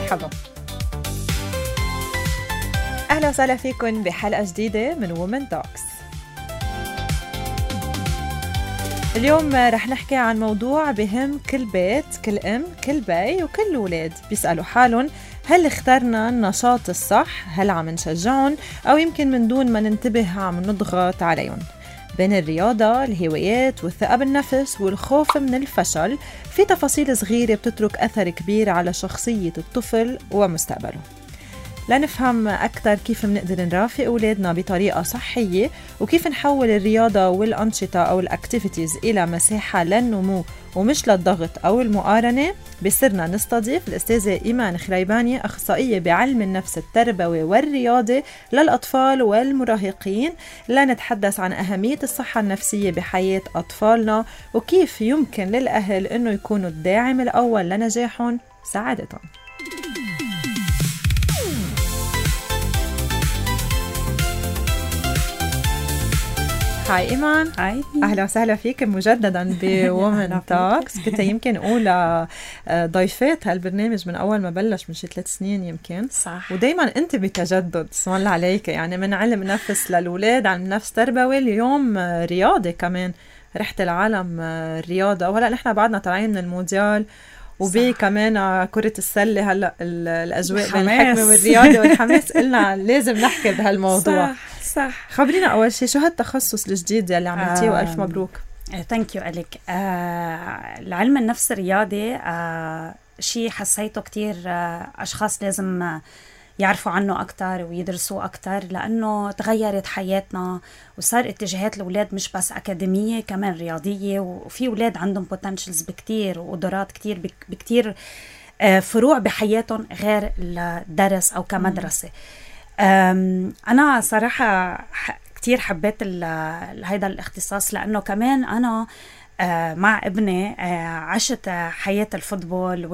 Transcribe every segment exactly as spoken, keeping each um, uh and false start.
مرحبا، أهلا وسهلا فيكم بحلقة جديدة من وومن توكس. اليوم رح نحكي عن موضوع بهم كل بيت، كل أم، كل بي وكل الولاد بيسألوا حالهم هل اخترنا النشاط الصح؟ هل عم نشجعهم أو يمكن من دون ما ننتبه عم نضغط عليهم؟ بين الرياضة، الهوايات والثقة بالنفس والخوف من الفشل في تفاصيل صغيرة بتترك أثر كبير على شخصية الطفل ومستقبله. لنفهم أكثر كيف منقدر نرافق أولادنا بطريقة صحية وكيف نحول الرياضة والأنشطة أو الأكتيفيتيز إلى مساحة للنمو ومش للضغط أو المقارنة، بصرنا نستضيف الأستاذة إيمان خريباني، أخصائية بعلم النفس التربوي والرياضي للأطفال والمراهقين، لنتحدث عن أهمية الصحة النفسية بحياة أطفالنا وكيف يمكن للأهل أنه يكونوا الداعم الأول لنجاحهم وسعادتهم. هاي إيمان. هاي، أهلا وسهلا فيك مجددا بوومن توكس. كنت يمكن أولى ضيفات هالبرنامج من أول ما بلش من شي ثلاث سنين يمكن. صح. ودايما أنت بتجدد، اسم الله عليك، يعني من علم نفس للولاد، علم نفس تربوي، اليوم رياضة كمان، رحت العالم الرياضة، وهلأ نحن بعدنا طالعين من المونديال وبي كمان كرة السلة. هلأ الأجواء بين الحكمة والرياضة والحماس، قلنا لازم نحكي بهالموضوع. صح صح. خبرينا أول شيء شو هالتخصص الجديد اللي عملتيه آه وألف مبروك. ثانك يو أليك. آه العلم النفس الرياضي آه شيء حسيته كتير آه أشخاص لازم آه يعرفوا عنه أكتر ويدرسوه أكتر، لأنه تغيرت حياتنا وصار اتجاهات الأولاد مش بس أكاديمية كمان رياضية، وفي أولاد عندهم potentials بكتير وقدرات كتير بكتير آه فروع بحياتهم غير الدرس أو كمدرسة. أنا صراحة كتير حبيت هيدا الاختصاص، لأنه كمان أنا مع ابني عشت حياة الفوتبول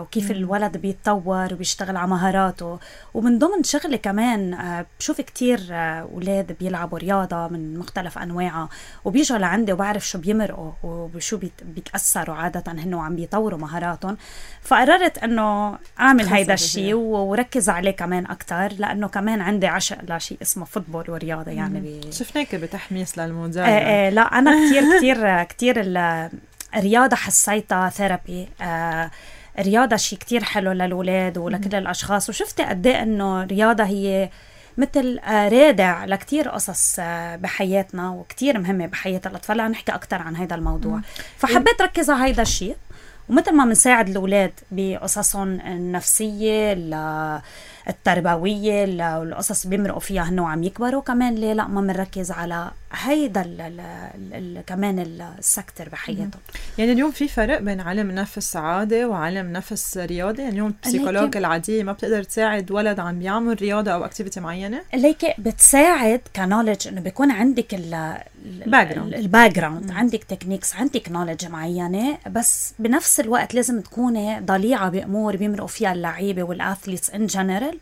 وكيف الولد بيتطور وبيشتغل على مهاراته، ومن ضمن شغلي كمان بشوف كتير أولاد بيلعبوا رياضة من مختلف أنواعها وبيجوا لعندي وبعرف شو بيمرقوا وشو بيتأثروا عادة هنو عم بيطوروا مهاراتهم. فقررت أنه أعمل هيدا الشيء وركز عليه كمان أكتر، لأنه كمان عندي عشق لشيء اسمه فوتبول ورياضة. يعني بي... شفناك بتحميس للمونديال. آه آه لا أنا كتير كتير كتير الرياضة حسيتها ثيرابي. آه الرياضة شيء كتير حلو للولاد ولكل الأشخاص، وشفت قد ايه إنه الرياضة هي مثل آه رادع لكتير قصص آه بحياتنا وكتير مهمة بحياة الأطفال. نحكي أكتر عن هذا الموضوع. مم. فحبيت ركز على هذا الشيء، ومثل ما منساعد الأولاد بقصصهم النفسية التربوية والقصص بيمرقوا فيها هنو عم يكبروا، كمان ليه لا ما منركز على هيدا ال ال ال كمان السكتر بحياتهم. يعني اليوم في فرق بين علم نفس عادي وعلم نفس رياضي؟ يعني اليوم البسيكولوج العادية ما بتقدر تساعد ولد عم بيعمل رياضة أو اكتيفيتي معينة؟ ليك بتساعد كنولج إنه بيكون عندك الباك جراوند، عندك تكنيكس، عندك نولج معينة، بس بنفس الوقت لازم تكوني ضليعة بأمور بيمرقوا فيها اللعيبة والأثليتس إن جنرال،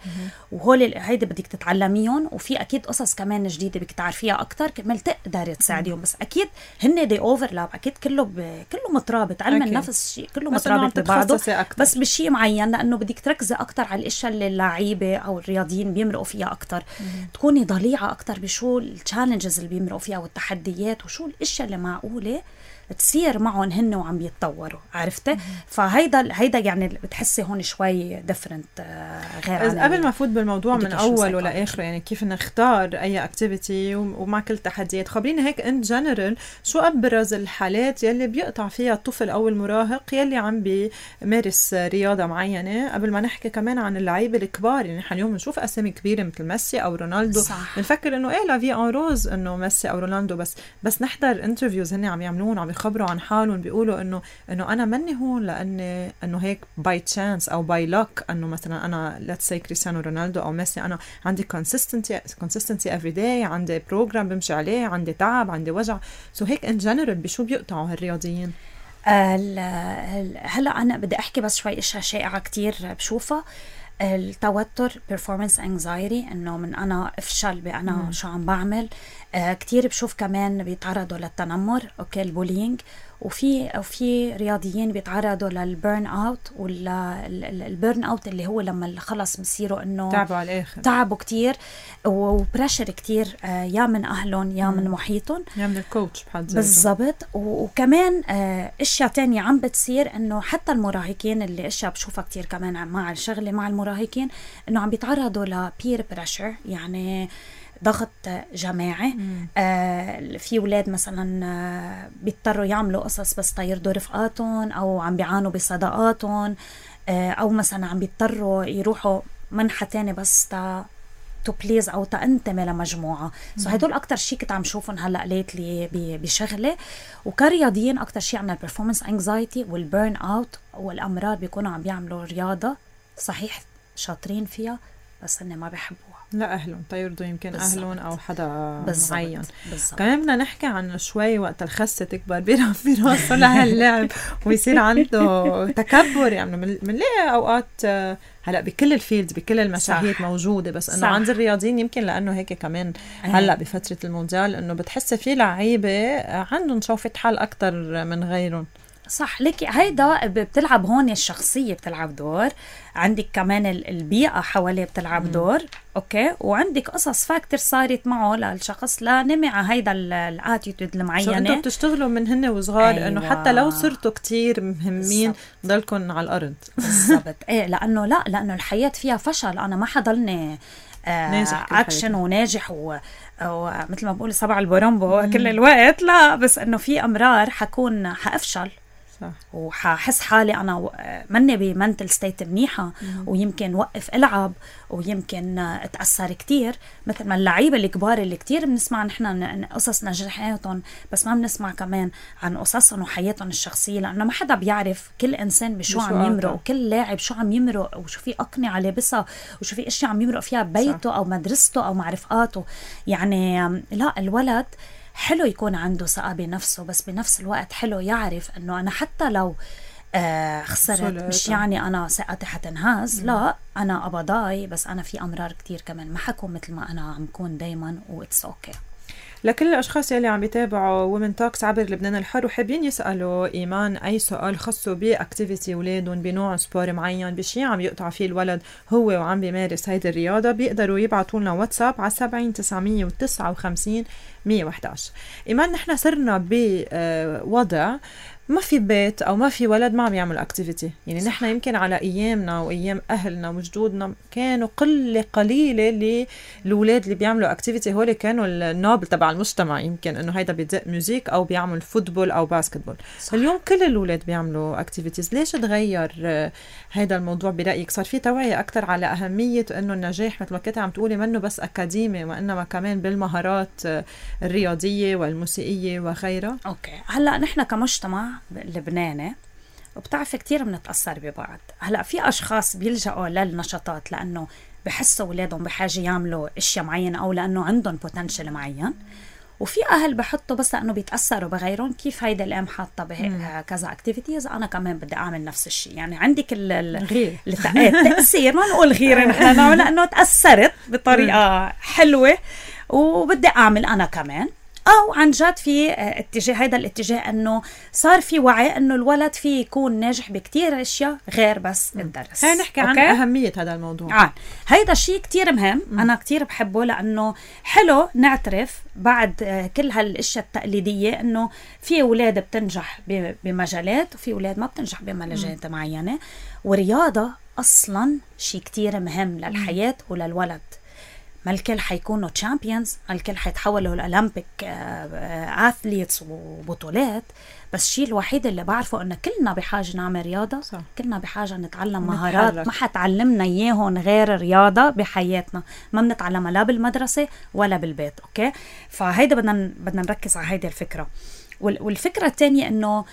وهول هيدا بدك تتعلميهم، وفي أكيد قصص كمان جديدة بدك تعرفيها أكتر كمل تقدر تساعديهم. بس أكيد هن دي أوفرلاب، أكيد كله ب... كله مترابط. علم النفس شيء كله مترابط ببعضه، بس بشيء معين، لأنه بدك تركزي أكتر على الأشياء اللي اللعيبة أو الرياضيين بيمرقوا فيها أكتر. تكوني ضليعة أكتر بشو التشالنجز اللي بيمرقوا فيها والتحديات وشو الأشياء اللي معقولة تصير معهم هن وعم بيتطوروا. عرفتي؟ فهيدا هيدا يعني بتحسي هون شوي ديفرنت غير. قبل ما افوت بالموضوع من اول ولا اخره، يعني كيف نختار اي اكتيفيتي ومع كل تحديات، خبريني هيك ان جنرال شو ابرز الحالات يلي بيقطع فيها الطفل او المراهق يلي عم بيمارس رياضه معينه، قبل ما نحكي كمان عن اللعيبه الكبار. يعني نحن اليوم بنشوف اسامي كبيره مثل ميسي او رونالدو، بنفكر انه ايه لا في ان روز انه ميسي او رونالدو، بس بس نحضر انترفيوز هن عم يعملون عم يخبروا عن حالهم، بيقولوا انه انه انا مني هون لاني انه هيك باي تشانس او باي لك، انه مثلا انا ليتس سي كريستيانو رونالدو او ميسي، انا عندي كونسيستنسي كونسيستنسي افري داي، عندي بروجرام بمشي عليه، عندي تعب، عندي وجع. سو هيك ان جنرال بشو بيقطعوا هالرياضيين؟ هلا انا بدي احكي بس شوي اشياء شائعه كتير بشوفها. التوتر performance anxiety، انه من انا افشل بانا مم. شو عم بعمل. آه كتير بشوف كمان بيتعرضوا للتنمر، اوكي البولينج، وفي وفي رياضيين بيتعرضوا للبيرن اوت، والبيرن اوت اللي هو لما خلص بصيروا انه تعبوا على الاخر، تعبوا كتير وبريشر كتير، يا من اهلهم يا من محيطهم، يا من الكوتش بحد ذاته. بالضبط. وكمان اشياء تانية عم بتصير، انه حتى المراهقين اللي اشياء بشوفها كتير كمان مع الشغله مع المراهقين، انه عم بيتعرضوا لبير بريشر، يعني ضغط جماعي. آه في أولاد مثلا آه بيضطروا يعملوا قصص بس تيرضوا رفقاتهم، أو عم بيعانوا بصداقاتهم، آه أو مثلا عم بيضطروا يروحوا منحة تاني بس تا تو بليز أو تنتمي لمجموعة. سو هدول أكتر شيء كنت عم شوفهم هلأ ليتلي بشغلة. وكرياضيين أكتر شيء عنا البرفورمانس انكزايتي والبيرن أوت، والأمراض بيكونوا عم بيعملوا رياضة صحيح شاطرين فيها بس هن ما بيحبوها، لا أهلهم تيرضوا يمكن بالزبط. أهلهم أو حدا بالزبط. معين. بالزبط. كمان بدنا نحكي عن شوي وقت الخسة تكبر براسه لهاللعب ويصير عنده تكبر. يعني منلاقي أوقات هلأ بكل الفيلد بكل المشاهير موجودة، بس إنه عند الرياضيين يمكن لأنه هيك كمان هلأ بفترة المونديال إنه بتحس في لعيبة عندهم شوفة حال أكتر من غيرهم. صح لك، هيدا بتلعب هون الشخصية بتلعب دور، عندك كمان البيئة حواليه بتلعب دور، اوكي، وعندك قصص فاكتور صارت معه للشخص لنمع هيدا الاتيتود المعينة. انتوا بتشتغلوا من هن وصغار. أيوة. انه حتى لو صرتوا كتير مهمين ضلكن على الارض. بالضبط. ايه لانه لا لانه الحياة فيها فشل، انا ما حضلني آه اكشن وناجح و ومثل ما بقول سبع البرامبو كل الوقت، لا، بس انه في امرار حكون حافشل وححس حالي أنا مني بمنتل ستيت منيحة، مم. ويمكن وقف ألعب ويمكن أتأثر كتير، مثل ما اللعيبة الكبار اللي كتير بنسمع نحن قصص نجاحاتهم، بس ما بنسمع كمان عن قصصهم وحياتهم الشخصية، لأنه ما حدا بيعرف كل إنسان بشو عم يمرق، وكل لاعب شو عم يمرق، وشو في أقنعة لابسها، وشو في أشياء عم يمرق فيها ببيته أو مدرسته أو مع رفقاته. يعني لا، الولد حلو يكون عنده ثقة بنفسه، بس بنفس الوقت حلو يعرف انه انا حتى لو آه خسرت مش يعني انا ثقتي حتنهز، لا، انا ابضاي، بس انا في امرار كتير كمان ما حكون مثل ما انا عم كون دايما، واتس اوكي. لكل الاشخاص يلي عم يتابعوا وومن توكس عبر لبنان الحر وحابين يسالوا ايمان اي سؤال خاصه باكتيفيتي اولادهم، بنوع سبور معين، بشيء عم يقطع فيه الولد هو وعم بيمارس هيدي الرياضه، بيقدروا يبعثوا لنا واتساب على سبعين تسعمية وتسعة وخمسين مية وإحدى عشر. ايمان، نحن صرنا بوضع ما في بيت او ما في ولد ما عم يعمل اكتيفيتي. يعني نحن يمكن على ايامنا وايام اهلنا وجدودنا كانوا قله قليله للولاد اللي بيعملوا اكتيفيتي، هول كانوا النابل تبع المجتمع، يمكن انه هيدا بيدق ميوزيك او بيعمل فوتبول او باسكتبول. صح. اليوم كل الولاد بيعملوا اكتيفيتيز. ليش تغير هيدا الموضوع برايك؟ صار في توعيه اكثر على اهميه انه النجاح مثل ما كنت عم تقولي منه بس اكاديمي، وانما كمان بالمهارات الرياضيه والموسيقيه وغيرها. اوكي، هلا نحن كمجتمع لبناني وبتعرف كتير بنتأثر ببعض. هلأ في أشخاص بيلجأوا للنشاطات لأنه بحسوا أولادهم بحاجة يعملوا إشياء معينة أو لأنه عندهم بوتنشل معين، وفي أهل بحطوا بس لأنه بيتأثروا بغيرهم. كيف هيدا الأم حاطة كذا أكتيفيتيز، أنا كمان بدي أعمل نفس الشيء. يعني عندك الغير التأثير، ما نقول غير نحن نعمل لأنه تأثرت بطريقة حلوة وبدي أعمل أنا كمان. أو عن جد في اتجاه، هيدا الاتجاه أنه صار في وعي أنه الولد فيه يكون ناجح بكتير أشياء غير بس الدرس. هاي نحكي عن أهمية هذا الموضوع. آه. هيدا شيء كتير مهم. م. أنا كتير بحبه، لأنه حلو نعترف بعد كل هالأشياء التقليدية أنه في أولاد بتنجح بمجالات وفي أولاد ما بتنجح بمجالات معينة، ورياضة أصلا شيء كتير مهم للحياة م. وللولد. ما الكل حيكونوا تشامبيونز، ما الكل حيتحولوا الأولمبيك أثليتس وبطولات، بس الشيء الوحيد اللي بعرفه أنه كلنا بحاجة نعمل رياضة. صح. كلنا بحاجة نتعلم مهارات ما حتعلمنا إياهن غير الرياضة بحياتنا، ما بنتعلمها لا بالمدرسة ولا بالبيت. أوكي، فهيدا بدنا بدنا نركز على هيدا الفكرة. والفكرة الثانية أنه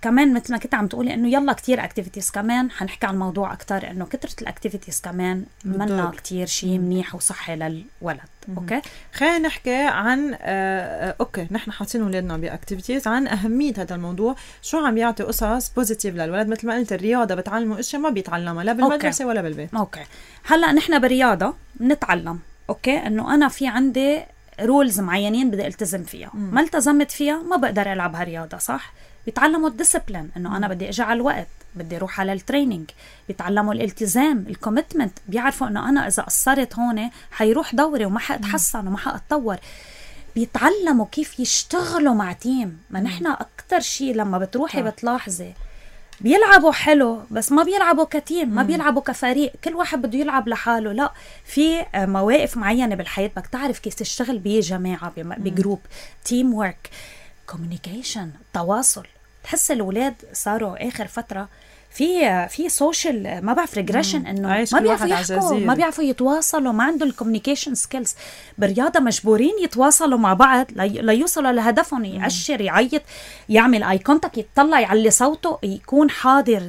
كمان مثل ما كنت عم تقولي انه يلا كتير اكتيفيتيز، كمان حنحكي عن الموضوع اكتر انه كترة الاكتيفيتيز كمان منا كتير شيء منيح وصحي للولد. اوكي، خلينا نحكي عن آه اوكي نحن حاطين اولادنا باكتيفيتيز، عن اهميه هذا الموضوع، شو عم يعطي قصص بوزيتيف للولد. مثل ما قلت الرياضه بتعلموا اشياء ما بيتعلمها لا بالمدرسه ولا بالبيت. اوكي، هلا نحن بالرياضه بنتعلم اوكي انه انا في عندي رولز معينين بدي التزم فيها. مم. ما التزمت فيها ما بقدر العب هالرياضه. صح؟ بيتعلموا الديسيبلين، انه انا بدي اجي على الوقت، بدي اروح على التريننج. بيتعلموا الالتزام، الكوميتمنت، بيعرفوا انه انا اذا قصرت هون حيروح دوري وما حاتحسن وما حاتطور. بيتعلموا كيف يشتغلوا مع تيم. ما نحن اكتر شيء لما بتروحي بتلاحظي بيلعبوا حلو بس ما بيلعبوا كتيم، ما بيلعبوا كفريق، كل واحد بده يلعب لحاله. لا، في مواقف معينة بالحياة بدك تعرف كيف تشتغل بجماعة، بجروب، تيم وورك، كوميونيكيشن، تواصل. تحس الأولاد صاروا آخر فترة في في سوشيال ما بعرف ريجريشن، انه ما بيعرفوا يحكوا، ما بيعرفوا يتواصلوا، ما عندهم الكوميونيكيشن سكيلز. بالرياضه مجبورين يتواصلوا مع بعض ليوصلوا لهدفهم، يأشر، يعيط، يعمل اي كونتاكت، يطلع، يعلي صوته، يكون حاضر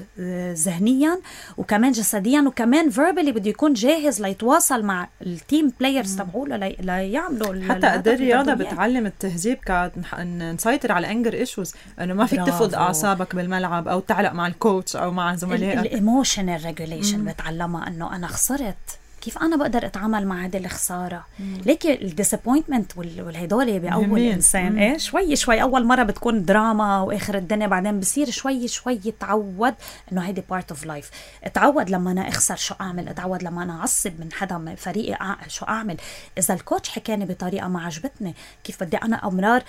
ذهنيا وكمان جسديا وكمان فيربالي، بده يكون جاهز ليتواصل مع التيم بلايرز تبعوله ليعملوا. حتى قد الرياضه بتعلم التهذيب، كنسيطر على الانجر ايشوز، انه ما فيك تفقد اعصابك بالملعب او تعلق مع الكوتش او مع زملائك. الايموشنال ريجوليشن بتعلمها، انه انا خسرت كيف انا بقدر اتعامل مع هذه الخساره. ليكي الديسابوينتمنت والهدول باول انسان ايه شوي شوي اول مره بتكون دراما واخر الدنيا، بعدين بصير شوي شوي يتعود انه هيدي بارت اوف لايف. اتعود لما انا اخسر شو اعمل، اتعود لما انا اعصب من حدا من فريقي شو اعمل، اذا الكوتش حكاني بطريقه ما عجبتني كيف بدي انا امرار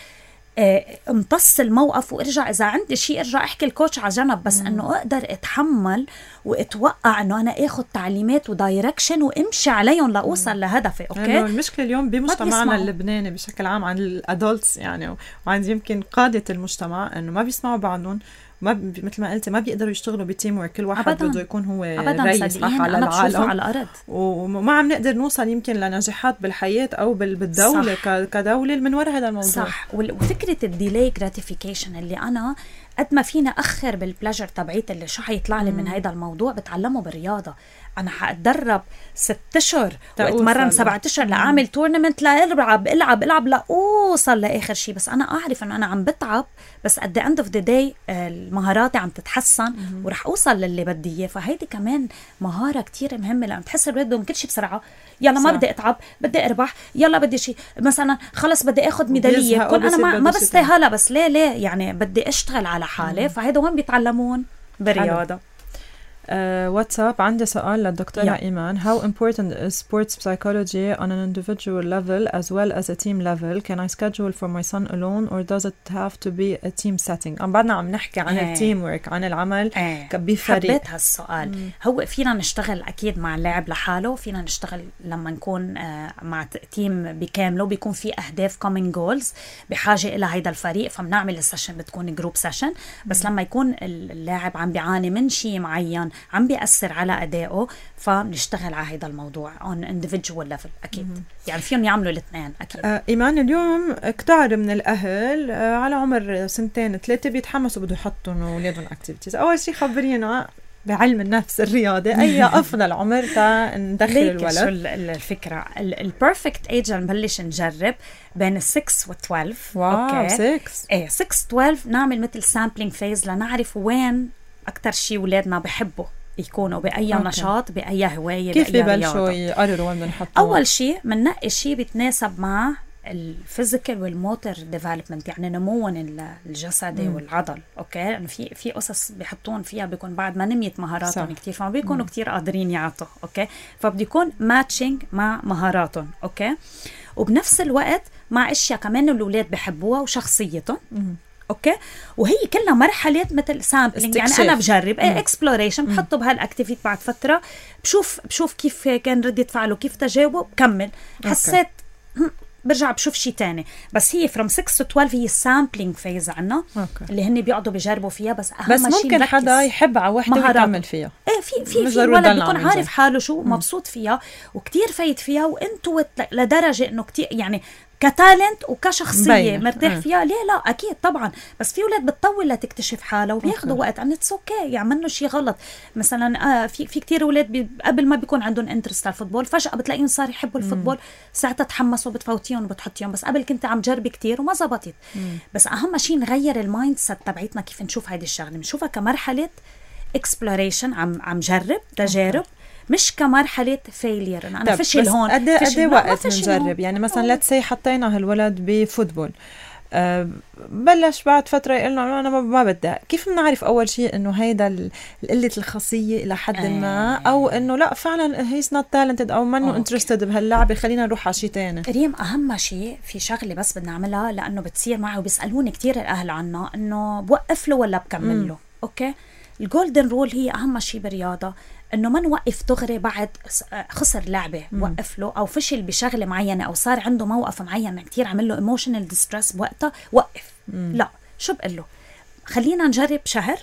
امتص الموقف وارجع، اذا عندي شيء ارجع احكي الكوتش على جنب، بس انه اقدر اتحمل واتوقع انه انا اخذ تعليمات ودايركشن وامشي عليهم لاوصل لهدفي. اوكي، يعني المشكله اليوم بمجتمعنا اللبناني بشكل عام عن الادولتس يعني، وعند يمكن قاده المجتمع، انه ما بيسمعوا بعضهم، ما ب... مثل ما قلتي ما بيقدروا يشتغلوا بتيم ورك، كل واحد بده يكون هو رئيس صح على العالم على الارض، وما عم نقدر نوصل يمكن لنجاحات بالحياه او بالدوله ك... كدوله من وراء هذا الموضوع. صح، وفكره الديلي جراتيفيكيشن اللي انا قد ما فينا اخر بالبلاجر تبعيت اللي شو حيطلع لي من هذا الموضوع بتعلمه بالرياضه. انا حاتدرب ست اشهر واتمرن سبعة اشهر لاعمل تورنمنت، لا العب العب العب لا اوصل لاخر شيء، بس انا اعرف انه انا عم بتعب، بس at the end of the day مهاراتي عم تتحسن ورح اوصل للي بدي اياه. فهيدي كمان مهاره كتير مهمه، لانه بتحس الولاد بدهم كل شيء بسرعه. يلا ما بدي اتعب، بدي اربح، يلا بدي شيء مثلا خلص بدي اخذ ميداليه، كون انا ما, ما بستاهلها، بس ليه ليه يعني بدي اشتغل على حالي. فهيدا وين بيتعلمون؟ بالرياضه. واتساب uh, عندي سؤال للدكتورة yeah. إيمان. How important is sports psychology on an individual level as well as a team level? Can I schedule for my son alone or does it have to be a team setting? عم بعدنا عم نحكي عن hey. التيم ورك، عن العمل hey. بفريق. حبيت هالسؤال. mm. هو فينا نشتغل أكيد مع اللاعب لحاله، فينا نشتغل لما نكون uh, مع تيم بكامله، بيكون في أهداف common goals بحاجة إلى هيدا الفريق، فبنعمل السيشن بتكون جروب سيشن. بس mm. لما يكون اللاعب عم بيعاني من شيء معين عم بيأثر على أدائه، فبنشتغل على هذا الموضوع on individual level. أكيد mm-hmm. يعني فيهم يعملوا الاثنين. أكيد. آه إيمان، اليوم كتار من الأهل آه على عمر سنتين ثلاثة بيتحمسوا بده يحطوا أولادهم activities. أول شيء خبرينا بعلم النفس الرياضي أي أفضل عمر تا ندخل الولد؟ شو الفكرة؟ البرفكت ايج نبلش نجرب بين ستة و اثنا عشر. واو، ستة ايه ستة و اثنا عشر نعمل مثل سامبلينج فيز لنعرف وين أكتر شيء ولادنا بحبوا يكونوا بأي أوكي. نشاط، بأي هواية، كيف ببلشوا يقرروا وين بدهم يحطوا؟ أول شيء بننقي شيء بيتناسب مع الفيزيكال والموتور ديفلوبمنت، يعني نموهم الجسدي مم. والعضل. اوكي، يعني في في قصص بيحطون فيها بيكون بعد ما نميت مهاراتهم كتير، فما بيكونوا كتير قادرين يعطوا. اوكي، فبده يكون ماتشنج مع مهاراتهم. اوكي، وبنفس الوقت مع اشياء كمان الاولاد بحبوها وشخصيتهم. مم. اوكي، وهي كلها مرحله مثل سامبلينج، يعني انا بجرب ايه اكسبلوريشن، بحطه بهالاكتيفيتي، بعد فتره بشوف بشوف كيف كان ردة فعله، كيف تجاوبه، بكمل. حسيت برجع بشوف شيء تاني. بس هي from ستة to اثنا عشر هي سامبلينج فيز عنا اللي هن بيقعدوا بيجربوا فيها. بس اهم بس ممكن شيء حدا يحب على وحده ويكمل فيها. ايه في في في ولد بيكون عارف حاله شو مبسوط فيها وكتير فايت فيها، وانتو لدرجه انه كتير يعني كتالنت وكشخصيه مرتاح فيها. ليه لا؟ اكيد طبعا. بس في ولاد بتطول لتكتشف حالها وبياخذوا وقت، ان اتس اوكي يعملوا شيء غلط. مثلا آه في في كتير ولاد قبل ما بيكون عندهم انترست على الفوتبول، فجاه بتلاقيهم صار يحبوا الفوتبول، ساعتها تحمسوا بتفوتيهم وبتحطيهم، بس قبل كنت عم جربي كتير وما زبطت. بس اهم شيء نغير المايند سيت تبعتنا، كيف نشوف هيدي الشغله، بنشوفها كمرحله اكسبلوريشن، عم عم جرب تجارب. مش كمرحلة فيلير أنا, أنا فشل هون قد قد وقت نجرب يعني مثلا let's say حطينا هالولد بفوتبول أه بلش بعد فترة يقولنا أنا ما بدي كيف بنعرف أول شيء إنه هيدا قلة الخاصية إلى حد ما أو إنه لا فعلا he's not talented أو منه interested بهاللعبة خلينا نروح على شيء تاني. ريم أهم شيء في شغلة بس بدنا نعملها لأنه بتصير معي وبيسألوني كتير الأهل عنها إنه بوقف له ولا بكمل له. أوكي الجولدن رول هي أهم شيء بالرياضة إنه ما نوقف دغري بعد خسر لعبة مم. وقف له أو فشل بشغلة معينة أو صار عنده موقف معين كتير عمل له emotional distress بوقتها وقف مم. لا شو بقول له خلينا نجرب شهر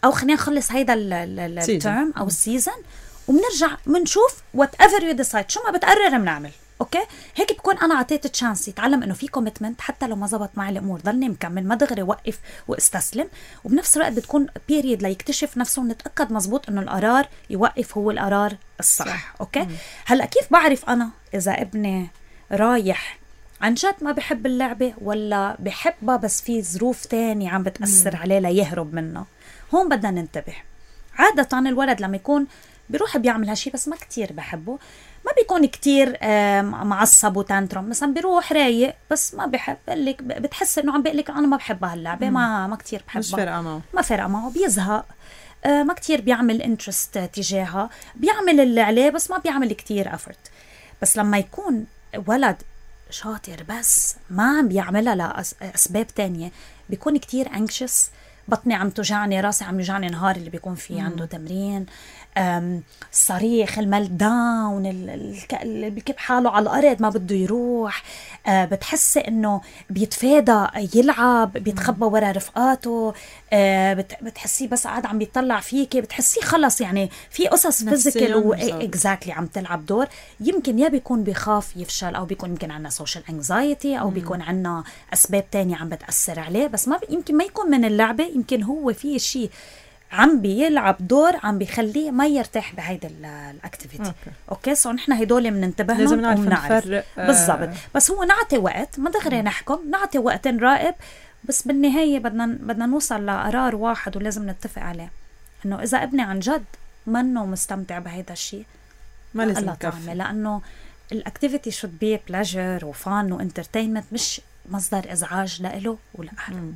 أو خلينا نخلص هيدا الترم أو السيزن وبنرجع بنشوف whatever you decide شو ما بتقرر بنعمل. اوكي هيك بكون انا عطيت تشانس يتعلم انه في كوميتمنت حتى لو ما زبط معي الامور ضلني مكمل ما دغري وقف واستسلم وبنفس الوقت بتكون بيريد ليكتشف نفسه ونتاكد مزبوط انه القرار يوقف هو القرار الصح صح. اوكي مم. هلا كيف بعرف انا اذا ابني رايح عن جد ما بحب اللعبه ولا بحبها بس في ظروف تانية عم بتاثر مم. عليه ليهرب منها؟ هون بدنا ننتبه. عاده الولد لما يكون بيروح بيعمل هالشي بس ما كتير بحبه ما بيكون كتير معصب وتانترم مثلا بيروح رايق بس ما بحب لك بتحس انه عم بقلك انا ما بحب هاللعبه ما ما كتير بحبها مش فارقه معه ما فارقه معه بيزهق ما كتير بيعمل انترست تجاهها بيعمل اللي عليه بس ما بيعمل كتير افورت. بس لما يكون ولد شاطر بس ما عم بيعملها لاسباب تانية بيكون كتير anxious بطني عم توجعني راسي عم يوجعني نهار اللي بيكون فيه عنده تمرين الصريخ الميل داون اللي بيكب حاله على الأرض ما بده يروح أه بتحسي إنه بيتفادى يلعب بيتخبى ورا رفقاته أه بتحسيه بس قاعد عم بيطلع فيكي بتحسيه خلص يعني في قصص فيزيكال و اكزاكتلي عم تلعب دور. يمكن يا بيكون بيخاف يفشل أو بيكون يمكن عنا سوشيال انكزايتي أو مم. بيكون عنا أسباب تانية عم بتأثر عليه بس ما يمكن ما يكون من اللعبة يمكن هو فيه شيء عم بيلعب دور عم بيخليه ما يرتاح بهيدا الاكتيفيتي. اوكي, أوكي؟ سو نحن هدول بننتبه لهم لازم نعرف نفرق بالضبط آه. بس هو نعطي وقت ما دغري نحكم نعطي وقت نراقب بس بالنهايه بدنا بدنا نوصل لقرار واحد ولازم نتفق عليه انه اذا ابني عن جد منه مستمتع بهيدا الشيء ما لازم نكفي لانه الاكتيفيتي شود بي بلاجر وفان وانترتينمنت مش مصدر ازعاج لإله ولاهله.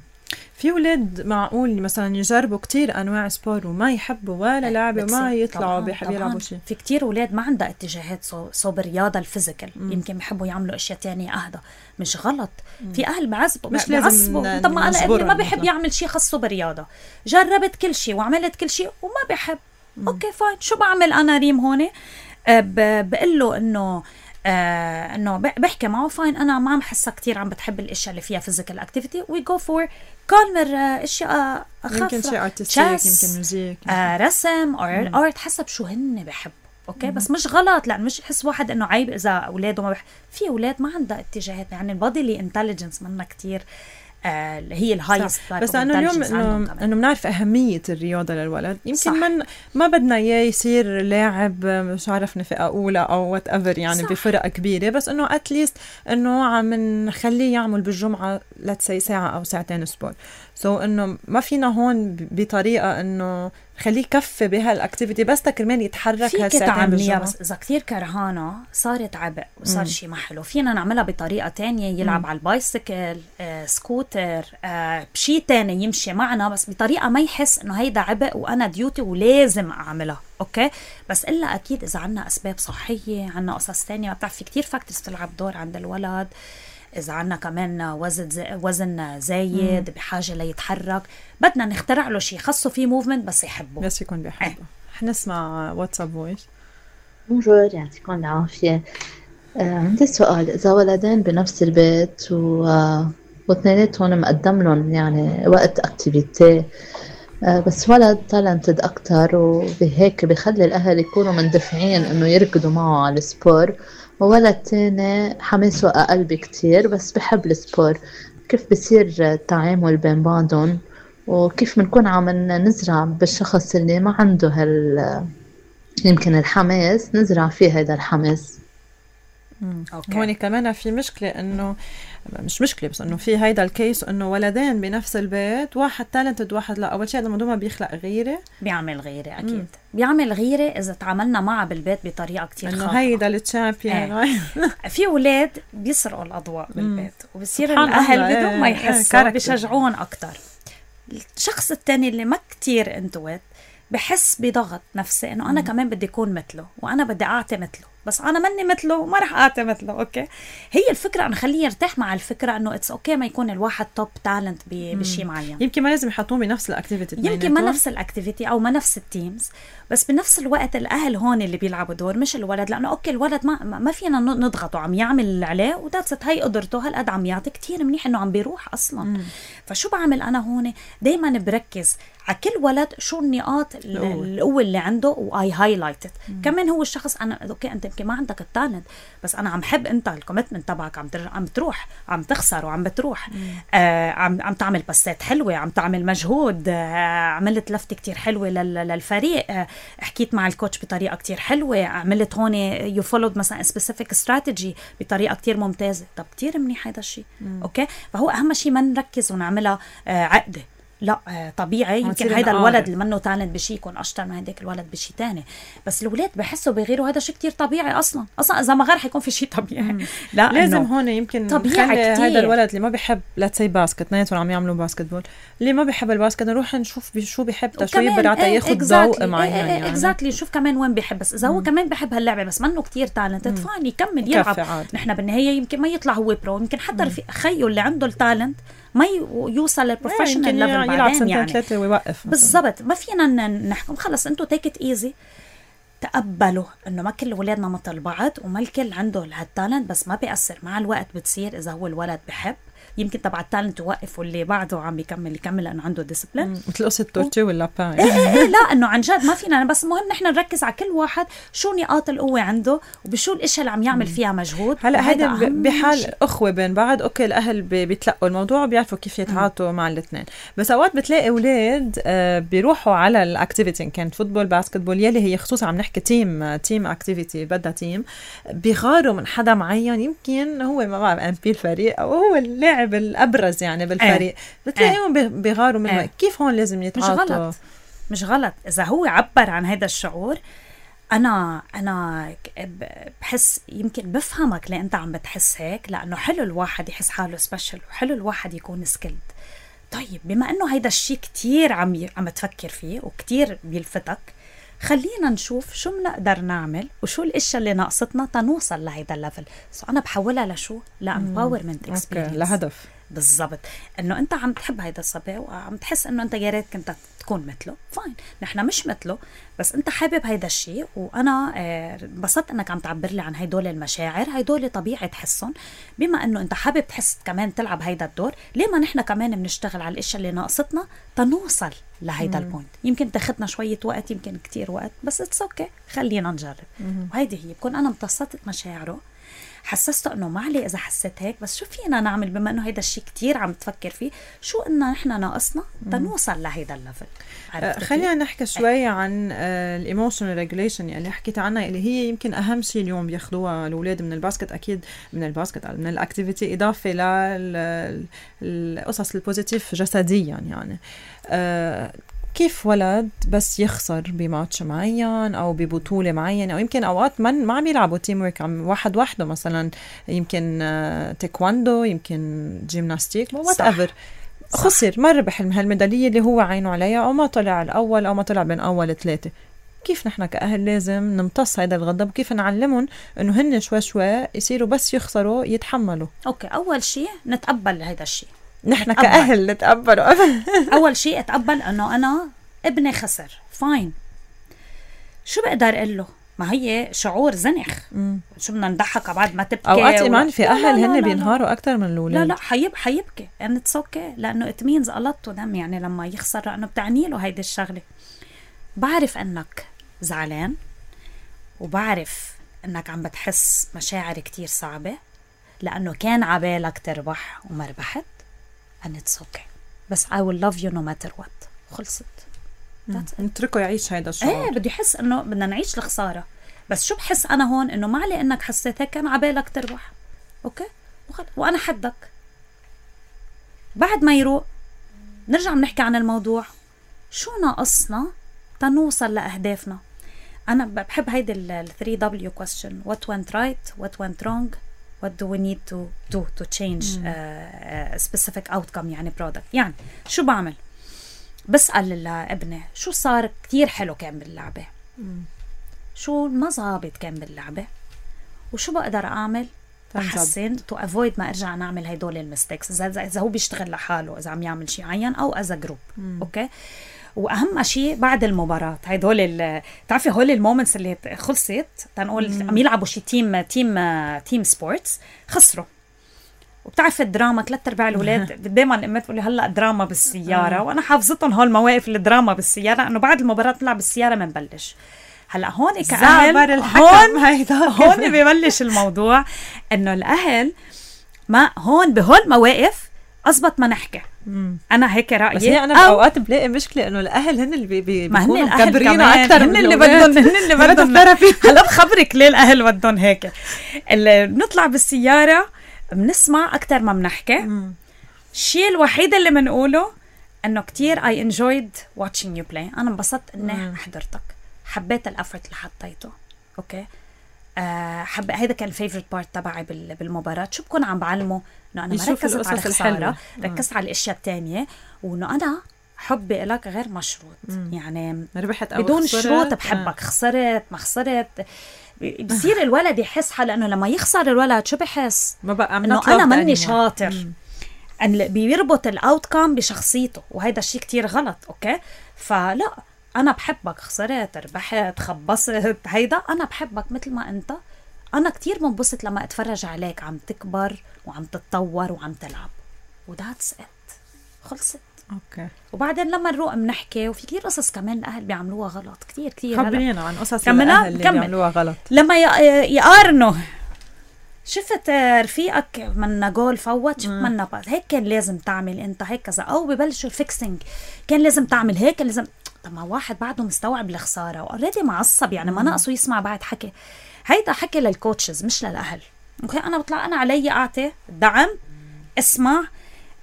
في ولاد معقول مثلا يجربوا كتير انواع سبور وما يحبوا ولا لعبه وما يطلعوا بيحبوا يلعبوا شيء. في كتير ولاد ما عندها اتجاهات صوب الرياضه الفيزيكال يمكن بيحبوا يعملوا اشياء تانية اهدى مش غلط. مم. في اهل بعذبوا مش لازم طب ما انا ابني ما بيحب يعمل شيء خاصه بالرياضه جربت كل شيء وعملت كل شيء وما بيحب. مم. اوكي فاين شو بعمل انا ريم هون بقول له انه آه انه بحكي معه فاين انا ما عم حسها كتير عم بتحب الاشياء اللي فيها فيزيكال اكتيفيتي وي جو فور كالمر اشياء اخف يمكن شيء ارتستيك يمكن ميوزيك آه رسم او ارت حسب شو هن بحبوا. اوكي مم. بس مش غلط لان مش يحس واحد انه عيب اذا اولاده ما بح... في اولاد ما عندها اتجاهات يعني البادي انتليجنس منها كتير آه هي الهايست. بس انه اليوم انه انه بنعرف اهميه الرياضه للولد يمكن من ما بدنا اياه يصير لاعب مش عارف فئه اولى او وات ايفر يعني صح. بفرق كبيره بس انه اتليست انه عم نخليه يعمل بالجمعه لتسي ساعه او ساعتين سبور سو so انه ما فينا هون بطريقه انه خليه يكفي بهالاكتيفيتي بس تكرمال يتحرك هالساعتين بالجمعه. بس اذا كثير كرهانه صارت عبء وصار شيء ما حلو فينا نعملها بطريقه تانية يلعب مم. على البايسكل آه، سكوتر آه، بشيء تاني يمشي معنا بس بطريقه ما يحس انه هيدا عبء وانا ديوتي ولازم اعملها. اوكي بس الا اكيد اذا عنا اسباب صحيه عنا قصص تانية بتعرف في كتير فاكتورز تلعب دور عند الولد. إذا عنا كمان وزن زي وزن زايد مم. بحاجة ليتحرك بدنا نخترع له شيء خاصه فيه موفمنت بس يحبه بس يكون بيحبه. ايه. حنسمع واتساب فويس. بونجور يعطيكم العافية. آه عندي سؤال إذا ولدين بنفس البيت و آه واثنيناتهم مقدم لهم يعني وقت اكتيفيتي آه بس ولد تالنتد أكتر وبهيك بيخلي الأهل يكونوا مندفعين إنه يركضوا معه على السبور وولد تاني حماسه أقل بكتير بس بحب السبور كيف بصير التعامل بين بعضهم وكيف بنكون عم نزرع بالشخص اللي ما عنده هال يمكن الحماس نزرع فيه هذا الحماس. هون كمان في مشكلة إنه مش مشكلة بس إنه في هيدا الكيس إنه ولدين بنفس البيت واحد تالنتد واحد لا. أول شيء هذا الموضوع ما بيخلق غيرة، بيعمل غيرة أكيد. مم. بيعمل غيرة إذا تعاملنا معه بالبيت بطريقة كتير خاطئة، إنه هيدا التشامبيون. ايه. في أولاد بيسرقوا الأضواء بالبيت وبصير الأهل بدون ما يحسوا بيشجعون أكتر. الشخص التاني اللي ما كتير انتوت بحس بضغط نفسي إنه أنا كمان بدي أكون مثله وأنا بدي أعطي مثله، بس أنا مني مثله وما رح أعطي مثله. أوكي، هي الفكرة أنا خليه يرتاح مع الفكرة إنه إتس أوكي ما يكون الواحد توب تالنت بشيء معين. يمكن ما لازم يحطوه بنفس الأكتيفيتي، يمكن ما نفس الأكتيفيتي أو ما نفس التيمز، بس بنفس الوقت الأهل هون اللي بيلعبوا دور مش الولد، لأنه أوكي الولد ما ما فينا نضغطه، عم يعمل اللي عليه وذاتس هاي قدرته هالقد عم يعطي كتير منيح إنه عم بيروح أصلاً. مم. فشو بعمل أنا هون؟ دايماً بركز على كل ولد شو النقاط القوة اللي عنده وآي هايلايتد. كمان هو الشخص أنا أوكي أنت يمكن ما عندك التالنت بس أنا عم حب أنت الكوميتمنت تبعك، عم ترجع عم تروح عم تخسر وعم بتروح، آه عم عم تعمل بسات حلوة، عم تعمل مجهود، آه عملت لفتة كتير حلوة للفريق، آه حكيت مع الكوتش بطريقة كتير حلوة، عملت هون يو فولود مثلا سبيسيفيك استراتيجي بطريقة كتير ممتازة. طب كتير منيح هذا الشيء. أوكي، فهو أهم شيء ما نركز ونعملها آه عقدة، لا طبيعي يمكن هيدا الولد اللي منه تالنت بشي يكون أشطر من هيداك الولد بشي تاني، بس الولاد بحسوا بغيروا هذا شيء كتير طبيعي أصلا. أصلا إذا ما غير حيكون في شيء طبيعي. لا لازم هون يمكن طبيعي هذا الولد اللي ما بيحب لا تسي باسكت، نايتهم عم يعملوا باسكت بول، اللي ما بيحب الباسكت نروح نشوف شو بيحب، شو يقدر عطيه ياخد ذوق معين يعني اكزاكتلي نشوف كمان وين بيحب. بس إذا هو كمان بيحب هاللعبة بس منه كتير تالنت فاين يكمل يلعب. نحن بالنهاية يمكن ما يطلع هو برو، يمكن حتى في خيو اللي عنده التالنت ما يوصل للبروفيشنال ليفل بعدين يعني ثلاثة ويوقف بالضبط. ما فينا نحكم خلص انتوا تيك ات ايزي، تقبلوا انه ما كل ولادنا مثل بعض وما الكل عنده هالتالنت، بس ما بيأثر. مع الوقت بتصير اذا هو الولد بحب يمكن تبع التالنت يوقف واللي بعده عم يكمل يكمل لانه عنده ديسيبلين مثل قصه تورتي ولا با. إيه إيه لا انه عن جد ما فينا، بس المهم نحن نركز على كل واحد شو نقاط القوه عنده وبشو الاشياء اللي عم يعمل فيها مجهود. هلا هيدا بحال اخوه بين بعض اوكي الاهل بيتلقوا الموضوع وبيعرفوا كيف يتعاطوا مع الاثنين، بس اوقات بتلاقي اولاد بيروحوا على الاكتيفيتي ان كانت فوتبول باسكت بول يلي هي خصوصا عم نحكي تيم تيم اكتيفيتي بدها تيم، بيغاروا من حدا معين يمكن هو ما بعرف ام بي الفريق او هو اللاعب الابرز يعني بالفريق، بتلاقيهم اه. بيغاروا منه. اه. كيف هون لازم يتعاطوا؟ مش غلط مش غلط إذا هو عبر عن هذا الشعور. أنا أنا بحس يمكن بفهمك ليه أنت عم بتحس هيك، لأنه حلو الواحد يحس حاله سبيشل وحلو الواحد يكون سكيلد. طيب بما أنه هيدا الشيء كتير عم عم تفكر فيه وكتير بيلفتك، خلينا نشوف شو بنقدر نعمل وشو الاشياء اللي ناقصتنا تنوصل لهيدا الليفل. سو انا بحولها لشو؟ لامباورمنت اكسبيرينس، لهدف بالضبط. انه انت عم تحب هيدا الصبي وعم تحس انه انت يا ريت كنت تكون مثله، فاين نحن مش مثله بس انت حابب هيدا الشيء، وانا انبسطت انك عم تعبر لي عن هيدول المشاعر. هيدول طبيعي تحسهم، بما انه انت حابب تحس كمان تلعب هيدا الدور. ليه ما نحن كمان بنشتغل على الاشياء اللي ناقصتنا تنوصل لهيدا البوينت؟ يمكن تاخدنا شويه وقت، يمكن كتير وقت، بس اتس اوكي خلينا نجرب. وهيدي هي بكون انا امتصت مشاعره، حسسته انه ما عليه اذا حسيت هيك، بس شو فينا نعمل بما انه هيدا الشيء كتير عم تفكر فيه، شو إننا نحن ناقصنا تنوصل لهيدا الليفل. آه خلينا نحكي شوي عن الايموشنال ريجوليشن اللي حكيت عنها، اللي هي يمكن اهم شيء اليوم بياخذوها الاولاد من الباسكت، اكيد من الباسكت من الاكتيفيتي، اضافه للقصص البوزيتيف جسديا يعني. آه كيف ولد بس يخسر بماتش معين او ببطوله معينه، او يمكن اوقات من ما عم يلعبوا تيم ورك، عم واحد وحده مثلا، يمكن تايكواندو، يمكن جيمناستيك، وات ايفر، خسر ما ربح هالميداليه اللي هو عينه عليها، او ما طلع الاول او ما طلع بين اول ثلاثه. كيف نحن كأهل لازم نمتص هيدا الغضب، وكيف نعلمهم انه هن شوي شوي يصيروا بس يخسروا يتحملوا؟ اوكي اول شيء نتقبل هيدا الشيء، نحن كأهل نتقبله. أول شيء أتقبل أنه أنا ابني خسر، فاين. شو بقدر أقول له؟ ما هي شعور زنخ. مم. شو بدنا نضحك على بعض ما تبكي؟ أوقات إيمان في أهل هن بينهاروا أكتر من الأولاد. لا لا حيب حيبكي and it's okay، لأنه it means a lot to them، يعني لما يخسر لأنه بتعني له هيدي الشغلة. بعرف أنك زعلان، وبعرف أنك عم بتحس مشاعر كتير صعبة لأنه كان عبالك تربح وما ربحت، and it's okay، بس I will love you no matter what. خلصت. نتركه يعيش هيدا الشعور. ايه بدي يحس انه بدنا نعيش الخسارة، بس شو بحس أنا هون إنه ما علي إنك حسيت هيك كان عبالك تربح، أوكي، وأنا حدك. بعد ما يروق نرجع بنحكي عن الموضوع، شو ناقصنا تنوصل لأهدافنا. أنا بحب هيدي ال three W question: what went right, what went wrong, what do we need to do to change a specific outcome، يعني product. يعني شو بعمل؟ بسأل ابني شو صار كتير حلو كان باللعبة، شو ما زابط كان باللعبة، وشو بقدر أعمل أحسن to avoid ما أرجع نعمل هيدول المستيكس، إذا هو بيشتغل لحاله، إذا عم يعمل شيء عين أو as a group. أوكي. واهم شيء بعد المباراه هدول بتعرفي هول المومنتس اللي خلصت تنقول عم يلعبوا شي تيم تيم تيم سبورتس خسروا، وبتعرف الدراما ثلاث ارباع الاولاد دائما الامات بتقول لي هلا دراما بالسياره، وانا حافظتهم هول المواقف الدراما بالسياره، انه بعد المباراه طلع بالسياره بنبلش. هلا هون كأهل هون هون ببلش الموضوع انه الاهل ما هون بهول المواقف أزبط ما نحكي. مم. أنا هيك رأيي. بس هي أنا بأوقات بلاقي مشكلة إنه الأهل هن اللي بي بي بيكونوا مكبرين أكتر، هن اللي بدهم هن اللي بدهم هلا بخبرك ليه الأهل بدهم هيك. اللي بنطلع بالسيارة بنسمع أكتر ما بنحكي. الشيء الوحيد اللي بنقوله إنه كتير I enjoyed watching you play. أنا انبسطت إني حضرتك، حبيت الأفرت اللي حطيته. أوكي. أه حب هيدا كان الفيفورت بارت تبعي بالمباراة. شو بكون عم بعلمه إنه أنا ما ركزت على الخسارة، ركزت على الأشياء التانية، وإنه أنا حبي إلك غير مشروط. مم. يعني ربحت أو بدون خسرت. شروط بحبك. آه. خسرت ما خسرت بصير الولد يحس حاله إنه لما يخسر الولد شو بحس ما بقى إنه أنا مني شاطر. أن بيربط الأوتكم بشخصيته، وهيدا الشيء كتير غلط. أوكي. فلا أنا بحبك، خسرت ربحت خبصت، هيدا أنا بحبك مثل ما أنت. أنا كتير منبسط لما أتفرج عليك عم تكبر وعم تتطور وعم تلعب، وذاتس إت، خلصت. أوكي. وبعدين لما نروح بنحكي، وفي كتير قصص كمان الأهل بيعملوها غلط، كتير كتير. خبرينا عن قصص الأهل اللي بيعملوها غلط. لما يقارنوا شفت رفيقك من جول فوت، شفت منا باس، هيك كان لازم تعمل أنت، هيك كذا، أو ببلشوا الفيكسينج، كان لازم تعمل هيك، لازم. طب ما واحد بعده مستوعب الخسارة وأوريدي معصب، يعني ما ناقصه يسمع بعد حكي. هيدا حكي للكوتشز مش للأهل. أوكي. أنا بطلع أنا علي أعطي دعم، اسمع،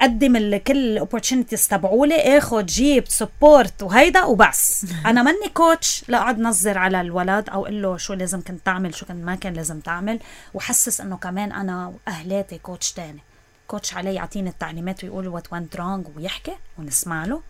قدم كل opportunities تبعولي، اخد جيب سبورت وهيدا وبس. أنا مني كوتش لا أقعد نظر على الولد أو قل له شو لازم كنت تعمل، شو كان ما كان لازم تعمل، وحسس إنه كمان أنا وأهلاتي كوتش تاني. كوتش علي يعطيني التعليمات ويقول what went wrong ويحكي ونسمع له.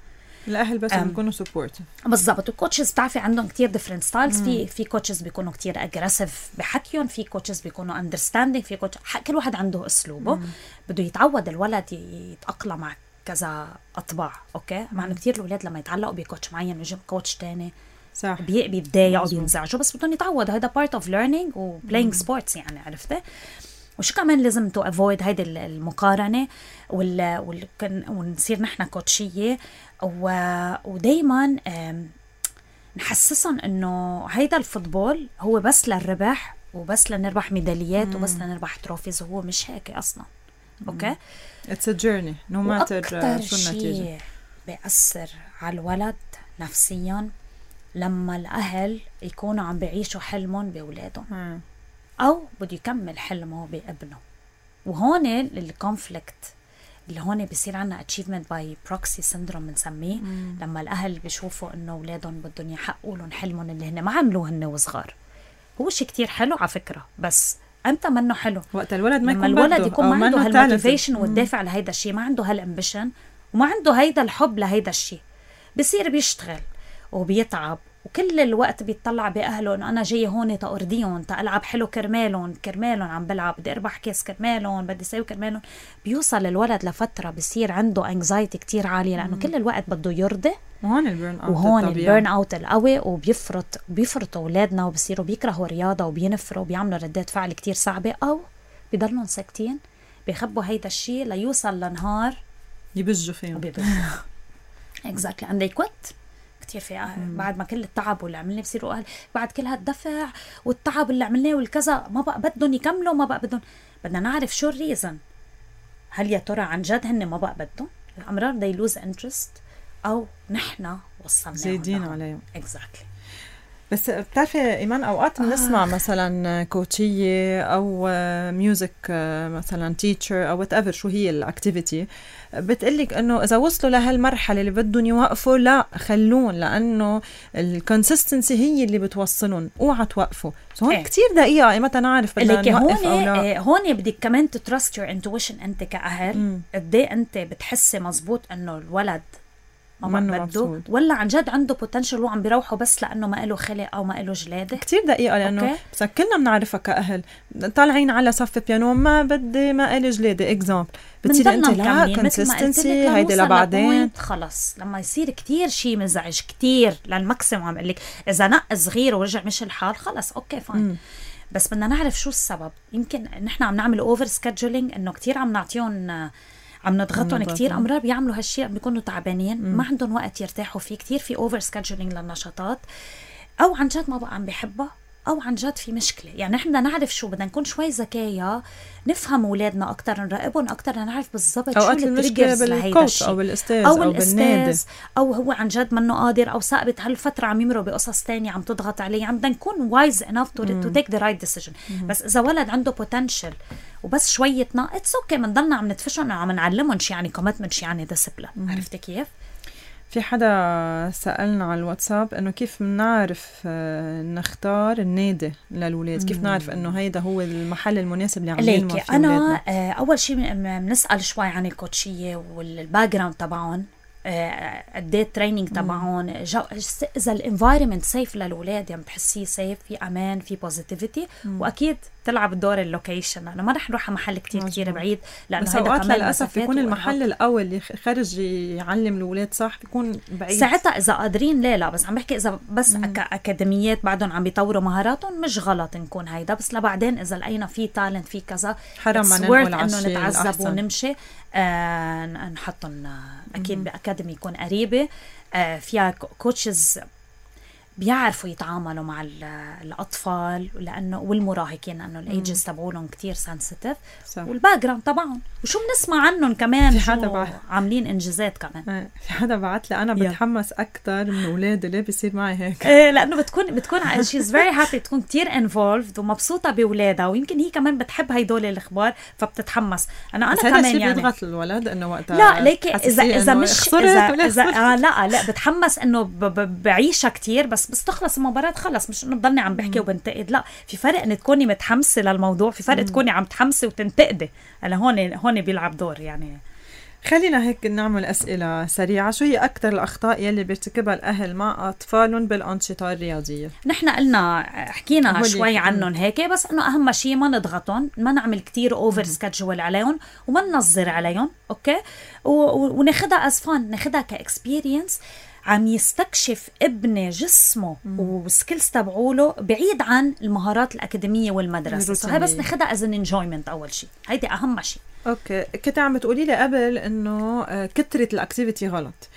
الأهل بس بيكونوا سبورت. بالضبط. والكوتشز بتعرفي عندهم كتير ديفرنت ستايلز. في في كوتشز بيكونوا كتير اجريسيف بحكيهم، في كوتشز بيكونوا اندرستاندينج، في كوتش كل واحد عنده اسلوبه. مم. بده يتعود الولد يتأقلم مع كذا اطباع. اوكي. مع انه كتير الاولاد لما يتعلقوا بكوتش معين ويجي كوتش تاني صح بي بيتضايقوا بينزعجوا، بس بدهم يتعودوا. هذا بارت اوف ليرنينج وبلاينج سبورتس، يعني عرفتي. وشو كمان لازم تو افويد هيدي المقارنه وال, وال... ونصير نحن كوتشيه و... ودايما نحسسهم انه هيدا الفوتبول هو بس للربح وبس لنربح ميداليات مم. وبس لنربح تروفيز، وهو مش هيك اصلا. اوكي. اتس ا جيرني نو ماتر شو النتيجه. بيأثر على الولد نفسيا لما الاهل يكونوا عم بيعيشوا حلمهم باولادهم او بده يكمل حلمه بابنه. وهون الكونفليكت اللي هون بيصير عنا achievement by proxy syndrome بنسميه، لما الاهل بيشوفوا انه اولادهم بدهم يحققوا لهم حلمهم اللي هن ما عملوه هن وصغار. هو شيء كتير حلو على فكره، بس امتى منه حلو؟ وقت الولد ما يكون الولد يكون ما عنده هالموتيفيشن والدافع لهيدا الشيء، ما عنده هالامبيشن وما عنده هيدا الحب لهيدا الشيء، بصير بيشتغل وبيتعب وكل الوقت بيطلع بأهله إنه أنا جاي هون تأرضيهم تألعب حلو كرمالهم كرمالهم عم بلعب، بدي أربح كاس كرمالهم، بدي سوي كرمالهم. بيوصل الولد لفترة بيصير عنده anxiety كتير عالية لأنه كل الوقت بده يرضي. وهون البيرن أوت وهون البيرن أوت القوي، وبيفرط بيفرطوا أولادنا وبصيروا بيكرهوا الرياضة وبينفروا وبيعملوا ردات فعل كتير صعبة، أو بيضلون ساكتين بيخبوا هيدا الشيء ليوصل لنهار يبجوا فيهم exactly and they quit. كتير في أهل بعد ما كل التعب واللي عملناه بصيروا أهل بعد كل هالدفع والتعب اللي عملناه والكذا ما بقى بدهم يكملوا، ما بقى بدهم. بدنا نعرف شو الريزن. هل يا ترى عن جد هن ما بقى بدهم الأمرار they lose interest، أو نحنا وصلنا زايدين عليهم exactly. بس بتعرفي إيمان أوقات بنسمع آه. مثلا كوتشية أو ميوزك مثلا تيتشر أو whatever شو هي الأكتيفيتي بتقلك إنه إذا وصلوا لهالمرحلة اللي بدهم يوقفوا لا خلون، لأنه الكونسيستنسي هي اللي بتوصلهم، اوعى توقفوا. هون إيه. كتير دقيقة متى نعرف بدنا نوقف أو لا. إيه هون بدك كمان تترست يور انتويشن أنت كأهل قد ايه أنت بتحسي مزبوط إنه الولد ما بده ولا عن جد عنده بوتنشل وعم بيروحوا بس لأنه ما له خلق أو ما له جلادة. كتير دقيقة لأنه بس كلنا بنعرفها كأهل طالعين على صف بيانو ما بدي ما إلي جلادة إكزامبل بتصير أنت لا كونسيستنسي هيدي لبعدين خلص لما يصير كتير شيء مزعج كتير للماكسيموم. عم قلك إذا نق صغير ورجع مش الحال خلص أوكي فاين. بس بدنا نعرف شو السبب. يمكن نحن عم نعمل أوفر سكادجولينج إنه كتير عم نعطيهم عم نضغطهم كتير. أمرار بيعملوا هالشيء بيكونوا تعبانين ما عندهم وقت يرتاحوا فيه. كتير في اوفر سكادجولينج للنشاطات أو عن جد ما بقى عم بيحبها أو عن جد في مشكلة. يعني نحن بدنا نعرف شو بدنا نكون شوي ذكية نفهم أولادنا أكتر نراقبهم أكتر نعرف بالضبط شو التريجرز لهيدا الشيء أو الأستاذ أو, أو الأستاذ أو هو عن جد منه قادر أو ثابت هالفترة عم يمروا بقصص تانية عم تضغط عليه. عم بدنا نكون wise enough to, to take the right decision. بس إذا ولد عنده potential وبس شوية ناقص أوكي منضلنا عم ندفشهم وعم نعلمهم شي يعني commitment شي يعني discipline. عرفتي كيف؟ في حدا سألنا على الواتساب إنه كيف نعرف نختار النادي للولاد، كيف نعرف إنه هيدا هو المحل المناسب اللي عم ينمو فيه أنا ولادنا. أول شيء بنسأل شوي عن الكوتشية والباك جراوند تبعهم قد ايه التريننج تبعهم، اذا الانفايرمنت سيف للولاد يعني بتحسيه سيف في امان في بوزيتيفيتي. واكيد تلعب دور اللوكيشن لانه ما رح نروح على محل كتير كتير بعيد لانه هيدا كمان للاسف بيكون المحل الاول اللي خرج يعلم الولاد صح بيكون بعيد. ساعتها اذا قادرين لا لا بس عم بحكي اذا بس اكاديميات بعدهم عم بيطوروا مهاراتهم مش غلط نكون هيدا. بس لبعدين اذا لقينا في تالنت في كذا حرام ما ننقل انه نتعذب ونمشي آه نحطهم اكيد باكاديمي يكون قريبه آه فيها كوتشز بيعرفوا يتعاملوا مع الأطفال لأنه والمراهقين لأنه الأيجز تبعولهم كتير سنسيتيف والباك جراوند طبعاً وشو بنسمع عنهم كمان شو عاملين إنجازات كمان. في حدا بعت لي أنا بتحمس أكتر من أولادي ليه بيصير معي هيك إيه لأنه بتكون بتكون she's very happy تكون كتير involved ومبسوطة بأولادها ويمكن هي كمان بتحب هيدول الأخبار فبتتحمس. أنا أنا كمان يعني بيضغط الولد إنه وقتها لا ليك إذا إذا مش إذا, إذا آه لا لا بتحمس إنه بعيشها كتير بس بس تخلص المباراة خلص مش إنه بضلني عم بحكي وبنتقد. لا في فرق إن تكوني متحمسة للموضوع في فرق مم. تكوني عم تحمسي وتنتقدي. أنا هون هون بيلعب دور يعني. خلينا هيك نعمل أسئلة سريعة. شو هي أكتر الأخطاء يلي بيرتكبها الأهل مع أطفالهم بالأنشطة الرياضية؟ نحن قلنا حكينا شوي عنهم هيك بس إنه أهم شيء ما نضغطهم ما نعمل كتير أوفر سكادجول عليهم وما ننظر عليهم أوكي وناخدها أزفان ناخدها كإكسبيرينس عم يستكشف ابن جسمه وسكيلز تبعوله بعيد عن المهارات الأكاديمية والمدرسة. هاي بس ناخدها as an enjoyment أول شيء. هيدي أهم شيء. أوكي كنت عم تقولي لي قبل إنه كترة الأكتيفيتي غلط.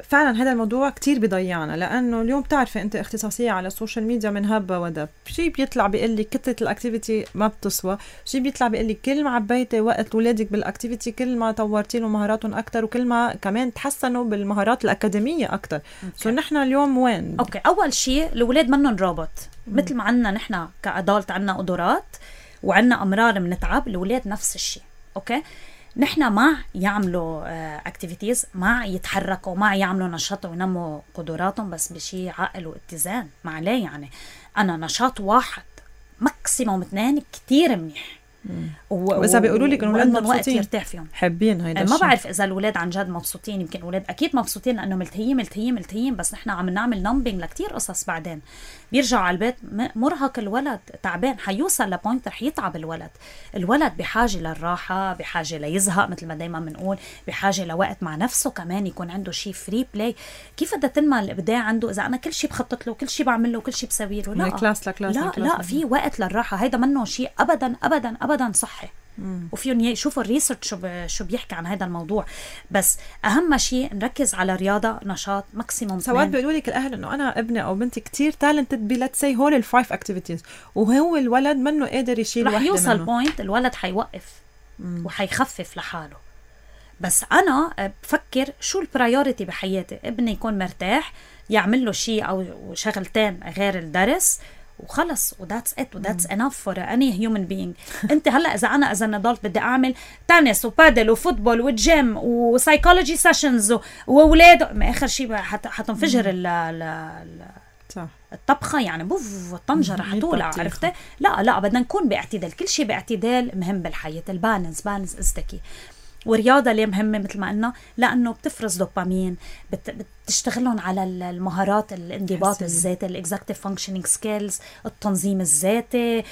فعلا هذا الموضوع كتير بيضيعنا لأنه اليوم بتعرفي أنت اختصاصية على السوشيال ميديا من هبة ودب. شي بيطلع بيقول لي كترة الأكتيفيتي ما بتسوى، شي بيطلع بيقول لي كل ما عبيتي وقت ولادك بالأكتيفيتي كل ما طورتي له مهاراتهم أكتر وكل ما كمان تحسنوا بالمهارات الأكاديمية أكتر. سو نحن اليوم وين؟ أوكي أول شيء الولاد منهم روبوت مثل ما عنا نحن كأدالت عنا قدرات وعنا أمرار منتعب الولاد نفس الشيء. أوكي نحن مع يعملوا اكتيفيتيز مع يتحركوا مع يعملوا نشاط وينموا قدراتهم بس بشي عقل واتزان مع ليه يعني أنا نشاط واحد ماكسيموم اثنين كتير منيح وإذا بيقولوا لك إنه الولاد مبسوطين يرتاح فيهم حابين هيدا ما بعرف إذا الولاد عن جد مبسوطين. يمكن الولاد أكيد مبسوطين لأنه ملتهيين ملتهيين ملتهيين بس نحن عم نعمل نمبينج لكتير قصص بعدين بيرجعوا على البيت مرهق الولد تعبان حيوصل لبوينت رح يتعب الولد. الولد بحاجة للراحة بحاجة ليزهق مثل ما دايما بنقول بحاجة لوقت مع نفسه كمان يكون عنده شيء فري بلاي. كيف بدها تنمى الإبداع عنده إذا أنا كل شيء بخطط له كل شيء بعمل له كل شيء بسوي له؟ لا كلاس لكلاس لا لكلاس لا في وقت للراحة. هيدا منه شيء أبدا أبدا أبدا صحي. وفيهم يشوفوا الريسيرش شو شو بيحكي عن هذا الموضوع. بس اهم شيء نركز على رياضه نشاط ماكسيموم. سواء بيقولوا لك الاهل انه انا ابني او بنتي كتير تالنتد بلت سي هول الفايف اكتيفيتيز وهو الولد منه قادر يشيل وحده منه رح يوصل بوينت الولد حيوقف وحيخفف لحاله. بس أنا بفكر شو البرايوريتي بحياتي. ابني يكون مرتاح، يعمل له شيء أو شغلتين غير الدرس وخلص، وذاتس ات وذاتس انف فور اني هيومن بينج. انت هلا اذا انا اذا نضلت بدي اعمل تنس وبادل وفوتبول وجيم وسايكولوجي سيشنز واولاد، ما اخر شيء حتنفجر ال ال الطبخه يعني بوف الطنجره حتولع، عرفتي؟ لا لا بدنا نكون باعتدال، كل شيء باعتدال مهم بالحياه. البالانس بالانس از ذا كي. والرياضة ليه مهمة مثل ما قلنا؟ لأنه بتفرز دوبامين، بت بتشتغلهم على المهارات الانضباط الذاتي، الإكزاكتيف فانكشنينج سكيلز، التنظيم الذاتي،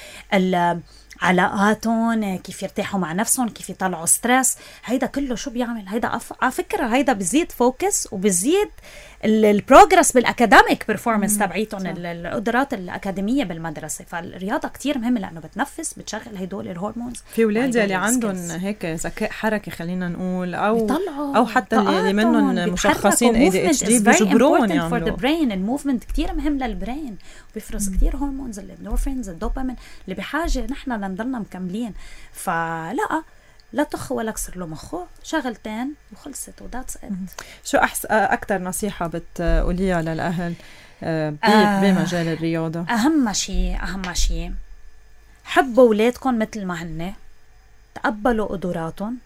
علاقاتهم، كيف يرتاحوا مع نفسهم، كيف يطلعوا ستريس. هيدا كله شو بيعمل؟ هيدا على فكرة هيدا بزيد فوكس وبزيد البروجرس بالأكاديميك بيرفورمانس تبعيتهم، القدرات الأكاديمية بالمدرسة. فالرياضة كتير مهمة لأنه بتنفس، بتشغل هيدول الهرمونز. في ولاد اللي عندهم هيك ذكاء حركي خلينا نقول، أو أو حتى اللي منهم مشخصين إيه دي إتش دي بيجبرون يعملوا. الموفمنت كتير مهم للبرين، وبيفرز كتير هرمونز، الاندورفينز، الدوبامين اللي بحاجة نحن لنضلنا مكملين. فلا لا تخ ولا كسر له مخه، شغلتين وخلصت وذاتس ات. شو أحس أكتر نصيحة بتقوليها للأهل آه بمجال الرياضة؟ أهم شيء أهم شيء حبوا أولادكم مثل ما هن، تقبلوا قدراتهم،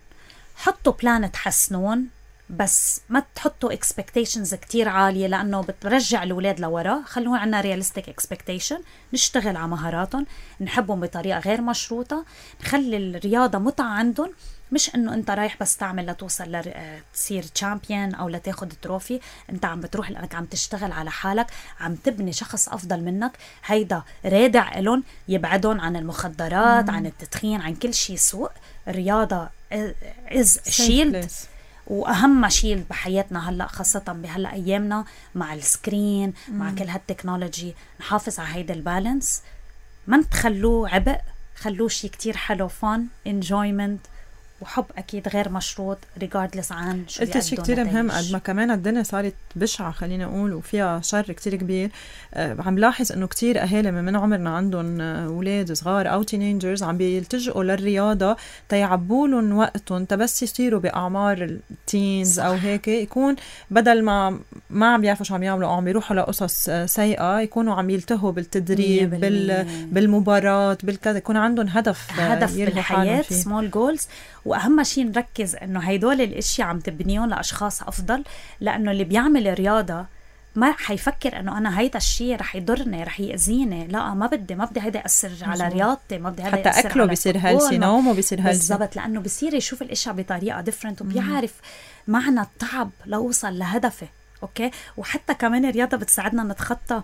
حطوا بلان تحسنون، بس ما تحطوا expectations كتير عالية لأنه بترجع الأولاد لورا. خلونا عنا realistic expectation، نشتغل على مهاراتهم، نحبهم بطريقة غير مشروطة، نخلي الرياضة متعة عندهم، مش انه انت رايح بس تعمل لتوصل لتصير تشامبيون او لتاخد تروفي. انت عم بتروح لانك عم تشتغل على حالك، عم تبني شخص افضل منك. هيدا رادع لهم، يبعدهم عن المخدرات، مم. عن التدخين، عن كل شيء سوء. الرياضة is shield، واهم شيء بحياتنا هلا خاصه بهلا ايامنا مع السكرين، مم. مع كل هالتكنولوجي. نحافظ على هيدا البالانس، ما تخلوه عبء، خلوه شيء كتير حلو، فن، انجويمنت، وحب أكيد غير مشروط regardless عن شو قلت شيء كتير مهم. قد ما كمان الدنيا صارت بشعة خلينا نقول وفيها شر كتير كبير، أه عم لاحظ إنه كتير أهالي من عمرنا عندهم أولاد صغار أو تينينجرز عم بيلتجئوا للرياضة تيعبولن وقتهم تبس يصيروا بأعمار التينز أو هيك، يكون بدل ما ما عم بيعرفوا شو عم يعملوا أو عم بيروحوا لقصص سيئة، يكونوا عم يلتهوا بالتدريب بال بالمباراة بالكذا، يكون عندهم هدف هدف بالحياة، small goals. وأهم شيء نركز إنه هيدول الأشياء عم تبنيهم لأشخاص أفضل، لأنه اللي بيعمل رياضة ما حيفكر إنه أنا هيدا الشيء رح يضرني رح يأذيني. لا، ما بدي ما بدي هيدا يأثر على رياضتي، ما بدي هيدا حتى يأثر أكله بيصير هالسي، نومه بيصير هالسي بالضبط، لأنه بيصير يشوف الأشياء بطريقة different وبيعرف معنى التعب لأوصل لهدفي. أوكي، وحتى كمان الرياضة بتساعدنا نتخطى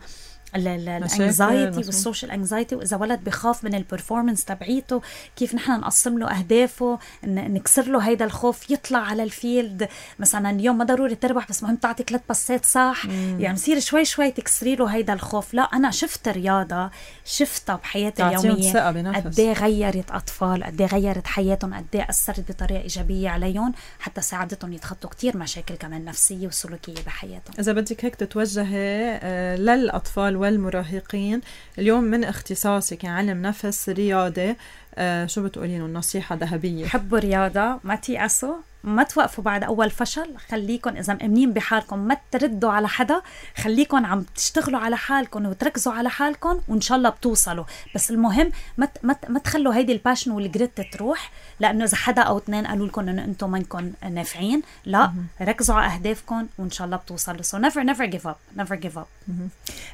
الانكزايتي والسوشيال انكزايتي. واذا ولد بخاف من البرفورمانس تبعيته، كيف نحن نقسم له اهدافه، نكسر له هيدا الخوف، يطلع على الفيلد مثلا اليوم ما ضروري تربح بس مهم تعطي ثلاث باسات صح، مم. يعني مصير شوي شوي تكسري له هيدا الخوف. لا، انا شفت رياضه شفتها بحياتي اليوميه قد ايه غيرت اطفال، قد ايه غيرت حياتهم، قد ايه اثرت بطريقه ايجابيه عليهم، حتى ساعدتهم يتخطوا كتير مشاكل كمان نفسيه وسلوكيه بحياتهم. اذا بدك هيك تتوجهي للاطفال والمراهقين اليوم من اختصاصك علم نفس رياضي، آه شو بتقولين النصيحة ذهبية؟ حبوا رياضة، ما تيأسوا، ما توقفوا بعد أول فشل، خليكن إذا مأمنين بحالكم ما تردوا على حدا، خليكن عم تشتغلوا على حالكم وتركزوا على حالكم وإن شاء الله بتوصلوا. بس المهم ما ما ما تخلوا هيدي الباشن والجريت تروح، لأنه إذا حدا أو اثنين قالوا لكم إنه أنتم منكم نافعين، لا م- ركزوا على أهدافكم وإن شاء الله بتوصلوا. so never never give up never give up.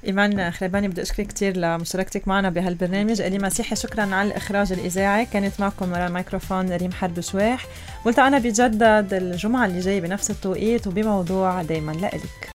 إيمان خريباني، بدي أشكرك كتير لمشاركتك معنا بهالبرنامج. إلي مسيحي شكرا على الإخراج الإذاعي، كانت معكم ورا الميكروفون ريم حرب شواح، والتقينا بجدد الجمعة اللي جاي بنفس التوقيت وبموضوع دايما لإلك.